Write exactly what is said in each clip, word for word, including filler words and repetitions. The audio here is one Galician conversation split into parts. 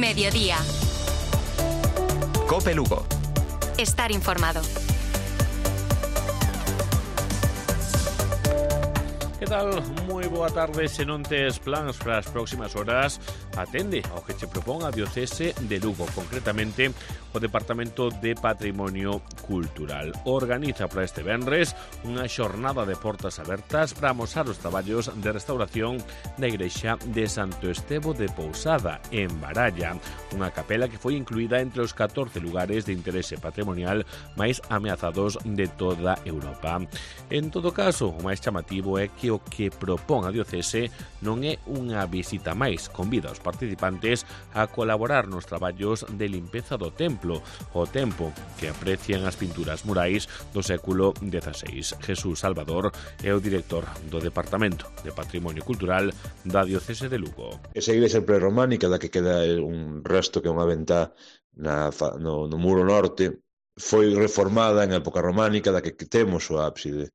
Mediodía. Cope Lugo. Estar informado. Que tal? Moi boa tarde. Se non tes plans para as próximas horas, atende ao que che propón a Diocese de Lugo, concretamente o Departamento de Patrimonio Cultural. Organiza para este venres unha xornada de portas abertas para amosar os traballos de restauración da igrexa de Santo Estevo de Pousada, en Baralla, unha capela que foi incluída entre os catorce lugares de interese patrimonial máis ameazados de toda Europa. En todo caso, o máis chamativo é que o que propón a Diocese non é unha visita máis, convida aos participantes a colaborar nos traballos de limpeza do templo, o tempo que aprecian as pinturas murais do século dieciséis. Jesús Salvador é o director do Departamento de Patrimonio Cultural da Diocese de Lugo. Esa igrexa prerrománica da que queda un resto que é unha ventá na, no, no muro norte foi reformada en época románica da que temos o ábside.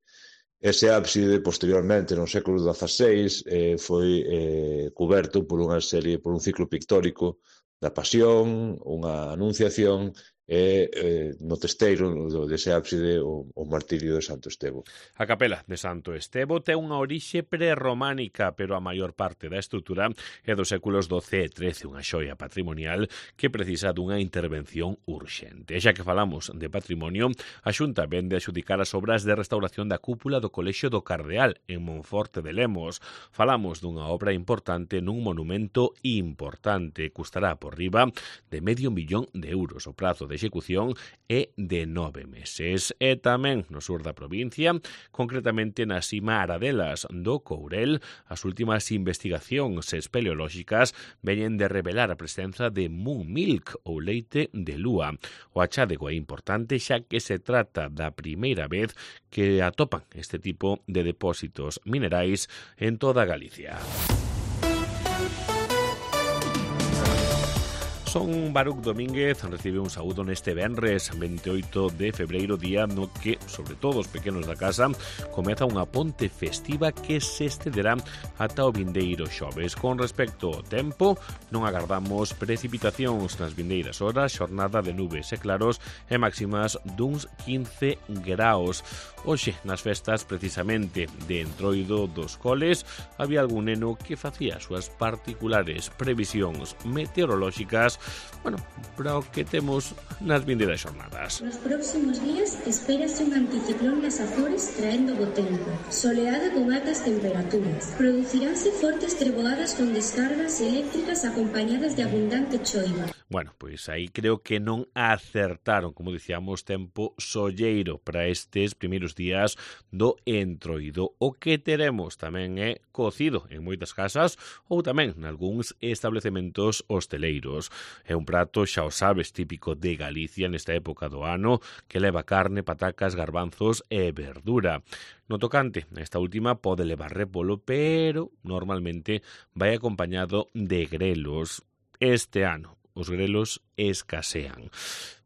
Ese ábside, posteriormente, no século dieciséis, eh, foi eh, coberto por unha serie, por un ciclo pictórico da Pasión, unha anunciación e eh, no testeiro dese ábside o, o martirio de Santo Estevo. A capela de Santo Estevo ten unha orixe prerrománica, pero a maior parte da estrutura é dos séculos doce e trece, unha xoia patrimonial que precisa dunha intervención urxente. E xa que falamos de patrimonio, a Xunta vende a xudicar as obras de restauración da cúpula do Colexio do Cardeal en Monforte de Lemos. Falamos dunha obra importante nun monumento importante, custará por riba de medio millón de euros. O prazo de execución é de nove meses. E tamén no sur da provincia, concretamente na Sima Aradelas do Courel, as últimas investigacións espeleolóxicas veñen de revelar a presenza de moon milk ou leite de lúa. O achádego é importante xa que se trata da primeira vez que atopan este tipo de depósitos minerais en toda Galicia. Son Baruch Domínguez, recibe un saúdo neste venres veintioito de febreiro, día no que, sobre todo os pequenos da casa, comeza unha ponte festiva que se estenderá ata o vindeiro xoves. Con respecto ao tempo, non agardamos precipitacións nas vindeiras horas, xornada de nubes e claros e máximas duns quince graus. Hoxe, nas festas precisamente de Entroido dos Coles, había algún neno que facía as súas particulares previsións meteorolóxicas, bueno, para o que temos nas vindeiras xornadas. Nos próximos días espérase un anticiclón nas Azores traendo bo tempo, soleado con altas temperaturas. Produciránse fortes treboadas con descargas eléctricas acompañadas de abundante choiva. Bueno, pois aí creo que non acertaron, como dicíamos, tempo solleiro para estes primeiros días do Entroido. O que teremos tamén é cocido en moitas casas ou tamén nalgúns establecementos hosteleiros. É un prato, xa o sabes, típico de Galicia nesta época do ano, que leva carne, patacas, garbanzos e verdura. No tocante, esta última pode levar repolo, pero normalmente vai acompañado de grelos. Este ano os grelos escasean.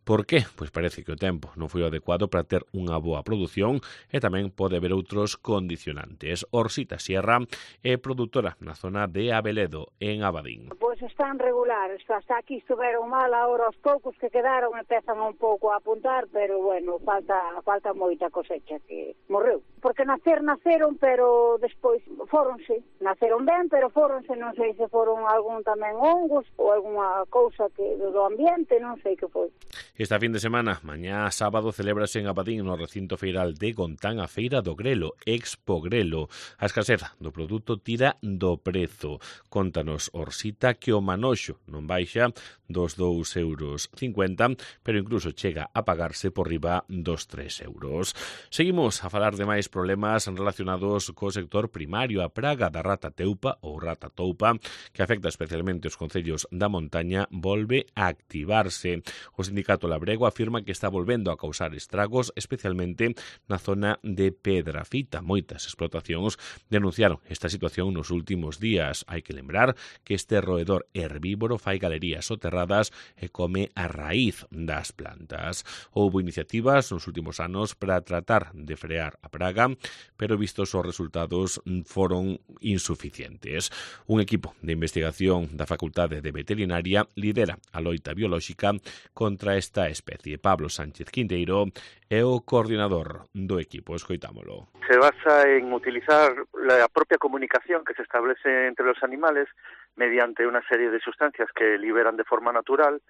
Por qué? Pois parece que o tempo non foi o adecuado para ter unha boa produción e tamén pode haber outros condicionantes. Orsita Sierra é produtora na zona de Abeledo, en Abadín. Pois están regulares, hasta aquí estuveron mal, agora os poucos que quedaron empezan un pouco a apuntar, pero bueno, falta falta moita cosecha que morreu. Porque nacer naceron, pero despois fóronse. Naceron ben, pero fóronse, non sei se foron algún tamén hongos ou alguna cousa que do ambiente, non sei que foi. Esta fin de semana, mañá sábado, celébrase en Abadín no recinto feiral de Gontán a Feira do Grelo, Expo Grelo. A escaseza do produto tira do prezo. Contanos Orsita que o manoxo non baixa dos dous euros cincuenta, pero incluso chega a pagarse por riba dos tres euros. Seguimos a falar de máis problemas relacionados co sector primario. A praga da rata teupa ou rata toupa, que afecta especialmente os concellos da montaña, volve a activarse. O sindicato Labrego afirma que está volvendo a causar estragos, especialmente na zona de Pedrafita. Moitas explotacións denunciaron esta situación nos últimos días. Hai que lembrar que este roedor depredador herbívoro fai galerías soterradas e come a raíz das plantas. Houbo iniciativas nos últimos anos para tratar de frear a praga, pero vistos os resultados foron insuficientes. Un equipo de investigación da Facultade de Veterinaria lidera a loita biolóxica contra esta especie. Pablo Sánchez Quinteiro é o coordinador do equipo. Escoitámolo. Se basa en utilizar la propia comunicación que se establece entre los animales mediante una serie de sustancias que liberan de forma natural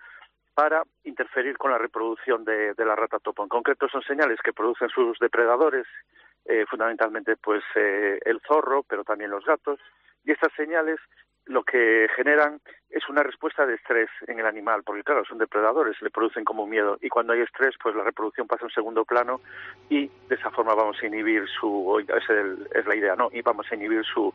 para interferir con la reproducción de, de la rata topo. En concreto son señales que producen sus depredadores, eh, fundamentalmente pues eh, el zorro, pero también los gatos, y estas señales lo que generan es una respuesta de estrés en el animal, porque claro, son depredadores, le producen como miedo, y cuando hay estrés, pues la reproducción pasa a un segundo plano y de esa forma vamos a inhibir su, es, el, es la idea, ¿no? Y vamos a inhibir su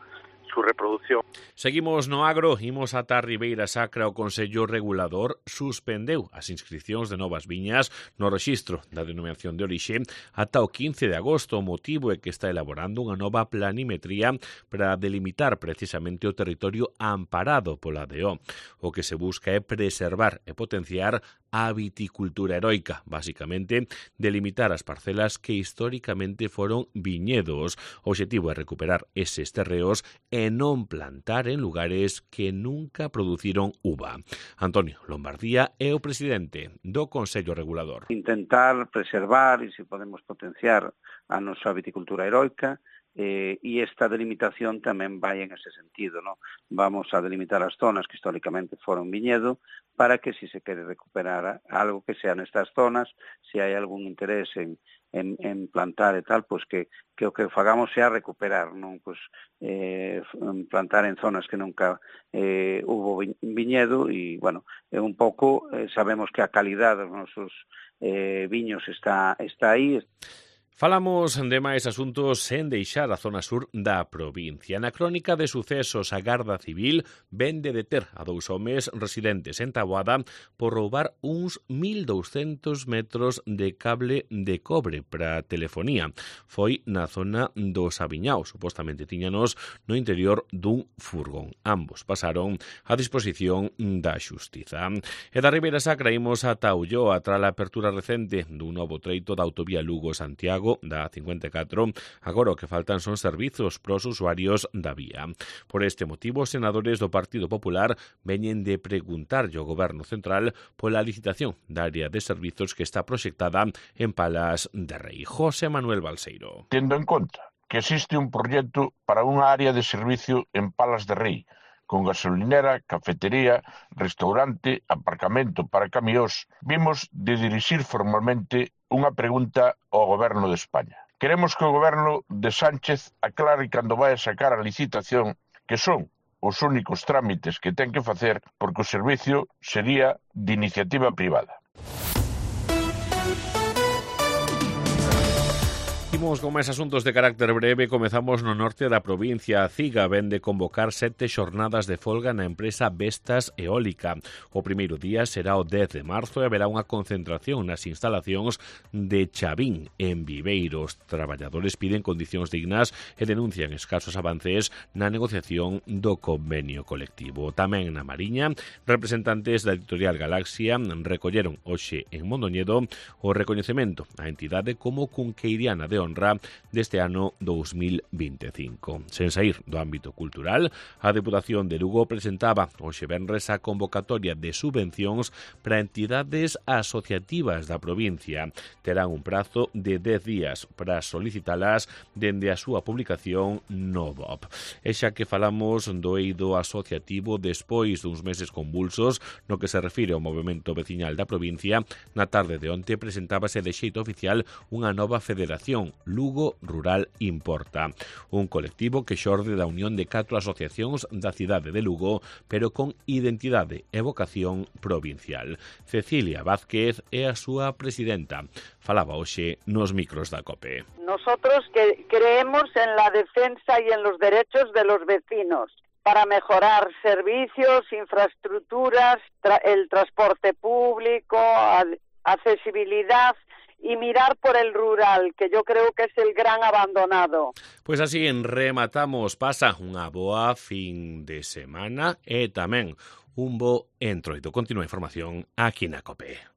su reproducción. Seguimos no agro, imos ata Ribeira Sacra. O Consello Regulador suspendeu as inscripcións de novas viñas no rexistro da denominación de orixe ata o quince de agosto. O motivo é que está elaborando unha nova planimetría para delimitar precisamente o territorio amparado pola D O. O que se busca é preservar e potenciar a viticultura heroica, basicamente delimitar as parcelas que históricamente foron viñedos. O obxectivo é recuperar eses terreos e non plantar en lugares que nunca produciron uva. Antonio Lombardía é o presidente do Consello Regulador. Intentar preservar e se podemos potenciar a nosa viticultura heroica, Eh, e esta delimitación tamén vai en ese sentido, ¿no? Vamos a delimitar as zonas que históricamente foron viñedo para que, si se quere recuperar algo que sea nestas zonas, se hai algún interés en, en, en plantar e tal, pues que, que o que fagamos sea recuperar, non? Pues, eh, plantar en zonas que nunca eh, hubo viñedo e, bueno, é un pouco, eh, sabemos que a calidad dos nosos eh, viños está, está aí. Falamos de máis asuntos sen deixar a zona sur da provincia. Na crónica de sucesos, a Garda Civil ven de deter a dous homes residentes en Taboada por roubar uns mil douscentos metros de cable de cobre para telefonía. Foi na zona do Sabiñao, supostamente tiñanos no interior dun furgón. Ambos pasaron a disposición da xustiza. E da Ribeira Sacra imos ata Ulloa tras a apertura recente dun novo treito da autovía Lugo-Santiago da cincuenta e catro. Agora o que faltan son servizos para os usuarios da vía. Por este motivo, os senadores do Partido Popular veñen de preguntarlle ao Goberno Central pola licitación da área de servizos que está proxectada en Palas de Rei. José Manuel Balseiro. Tendo en conta que existe un proxecto para unha área de servicio en Palas de Rei, con gasolinera, cafetería, restaurante, aparcamento para camións, vimos de dirixir formalmente unha pregunta ao Goberno de España. Queremos que o Goberno de Sánchez aclare cando vai a sacar a licitación que son os únicos trámites que ten que facer porque o servicio sería de iniciativa privada. Imos con máis asuntos de carácter breve. Comezamos no norte da provincia. A CIGA ven de convocar sete xornadas de folga na empresa Vestas Eólica. O primeiro día será o dez de marzo e haberá unha concentración nas instalacións de Chavín, en Viveiro. Os traballadores piden condicións dignas e denuncian escasos avances na negociación do convenio colectivo. Tamén na Mariña, representantes da editorial Galaxia recolleron hoxe en Mondoñedo o recoñecemento á entidade como cunqueiriana de honra deste ano dous mil vinte e cinco. Sen saír do ámbito cultural, a Deputación de Lugo presentaba hoxe venres a convocatoria de subvencións para entidades asociativas da provincia. Terán un prazo de dez días para solicitalas dende a súa publicación no B O P. E xa que falamos do eido asociativo despois duns meses convulsos no que se refire ao movemento veciñal da provincia, na tarde de onte presentábase de xeito oficial unha nova federación, Lugo Rural Importa, un colectivo que xorde da unión de catro asociacións da cidade de Lugo, pero con identidade e vocación provincial. Cecilia Vázquez é a súa presidenta. Falaba hoxe nos micros da COPE. Nosotros que creemos en la defensa y en los derechos de los vecinos para mejorar servicios, infraestructuras, tra- el transporte público, accesibilidad y mirar por el rural, que yo creo que es el gran abandonado. Pois así rematamos, pasa unha boa fin de semana e tamén un bo entroido. Continúa a información aquí na COPE.